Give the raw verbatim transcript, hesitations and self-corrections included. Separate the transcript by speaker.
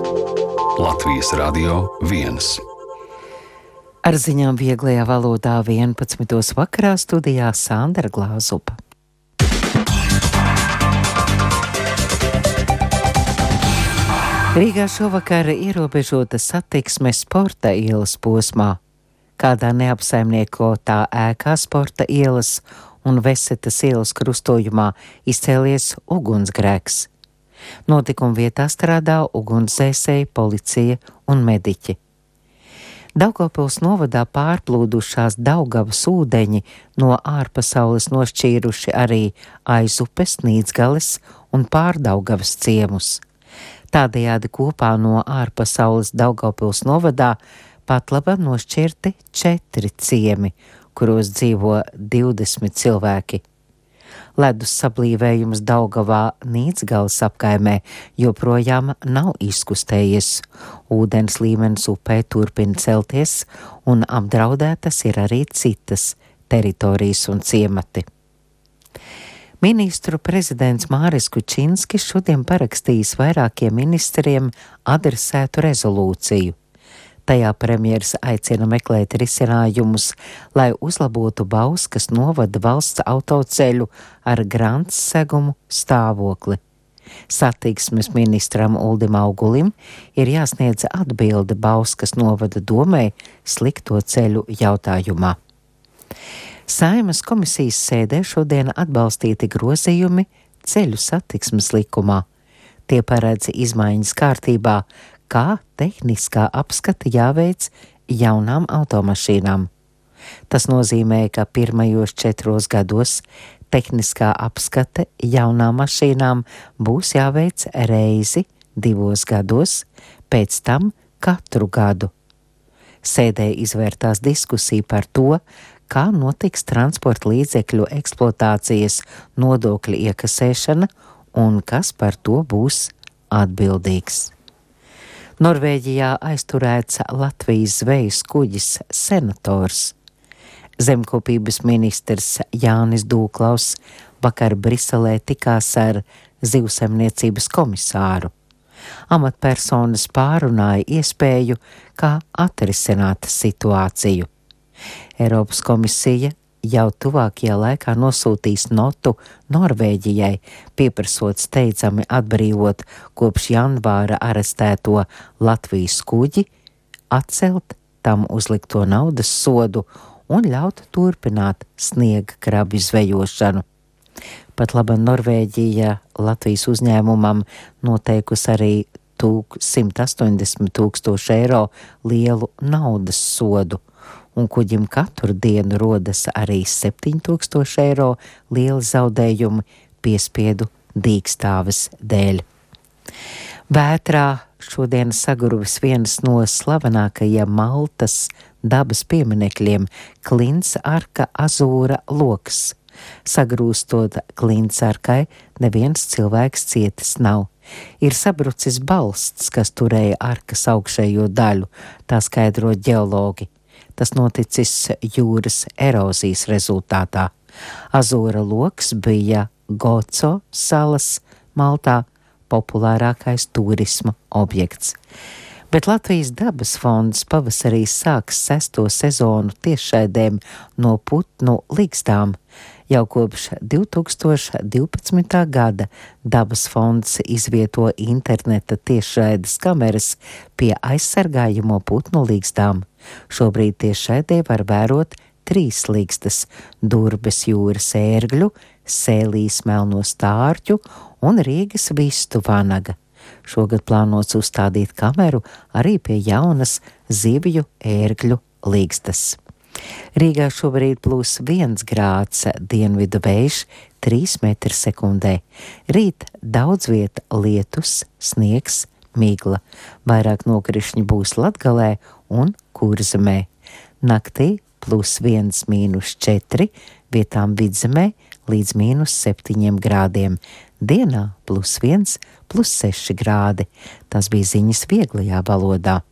Speaker 1: Latvijas Radio viens.
Speaker 2: Ar ziņām vieglajā valodā vienpadsmitos vakarā studijā Sandra Glāzupa. Rīgā šovakar ierobežota satiksme Sporta ielas posmā. Kādā neapsaimniekotā ēkā Sporta ielas un Vesetas ielas krustojumā izcēlies ugunsgrēks. Notikuma vietā strādā ugunsdzēsēji, policija un mediķi. Daugavpils novadā pārplūdušās Daugavas ūdeņi no ārpasaules nošķīruši arī Aizupes, Nīdzgales un Pārdaugavas ciemus. Tādējādi kopā no ārpasaules Daugavpils novadā Patlava nošķirti četri ciemi, kuros dzīvo divdesmit cilvēki. Ledus sablīvējums Daugavā Nīdzgales apkaimē joprojām nav izkustējies. Ūdens līmenis upē turpina celties un apdraudētas ir arī citas teritorijas un ciemati. Ministru prezidents Māris Kučinskis šodien parakstījis vairākiem ministriem adresētu rezolūciju. Tajā premjers aicina meklēt risinājumus, lai uzlabotu Bauskas novada valsts autoceļu ar grants segumu stāvokli. Satiksmes ministram Uldim Augulim ir jāsniedz atbilde Bauskas novada domei slikto ceļu jautājumā. Saeimas komisijas sēdē šodien atbalstīti grozījumi ceļu satiksmes likumā. Tie paredz izmaiņas kārtībā, kā tehniskā apskata jāveic jaunām automašīnām. Tas nozīmē, ka pirmajos četros gados tehniskā apskate jaunām mašīnām būs jāveic reizi divos gados, pēc tam katru gadu. Sēdē izvērtās diskusija par to, kā notiks transporta līdzekļu eksploatācijas nodokļa iekasēšana un kas par to būs atbildīgs. Norvēģijā aizturēts Latvijas zvejas kuģis Senators. Zemkopības ministrs Jānis Dūklaus vakar Briselē tikās ar zivsaimniecības komisāru. Amatpersonas pārunāja iespēju, kā atrisināt situāciju. Eiropas komisija jau tuvākajā laikā nosūtīs notu Norvēģijai, pieprasot steidzami atbrīvot kopš janvāra arestēto Latvijas kuģi, atcelt tam uzlikto naudas sodu un ļaut turpināt sniega krabju zvejošanu. Pat laba Norvēģija Latvijas uzņēmumam noteikusi arī simt astoņdesmit tūkstošu eiro lielu naudas sodu, un kuģim katru dienu rodas arī septiņi tūkstoši eiro lieli zaudējumi piespiedu dīkstāves dēļ. Vētrā šodien saguruvis viens no slavenākajiem Maltas dabas pieminekļiem – Klints arka Azūra loks. Sagrūstot Klints arkai, neviens cilvēks cietis nav. Ir sabrucis balsts, kas turēja arkas augšējo daļu, tā skaidro ģeologi. Tas noticis jūras erozijas rezultātā. Azūra loks bija Goco salas Maltā populārākais turisma objekts. Bet Latvijas dabas fonds pavasarī sāks sesto sezonu tiešraidēm no putnu ligzdām. Jau kopš divi tūkstoši divpadsmitā gada dabas fonds izvieto interneta tiešraides kameras pie aizsargājamo putnu ligzdām. Šobrīd tiešraidē var vērot trīs ligstas – Durbes jūras ērgļu, Sēlijas melno stārķu un Rīgas vistu vanaga. Šogad plānots uzstādīt kameru arī pie jaunas zivju ērgļu ligstas. Rīgā šobrīd plūs viens grāds, dienvidu vējš trīs metri sekundē. Rīt daudz viet lietus, sniegs, migla. Vairāk nokrišņi būs Latgalē un Kurzemē. Naktī plus viens mīnus četri, vietām Vidzemē līdz mīnus septiņiem grādiem. Dienā plus viens, plus seši grādi. Tas bija ziņas vieglajā valodā.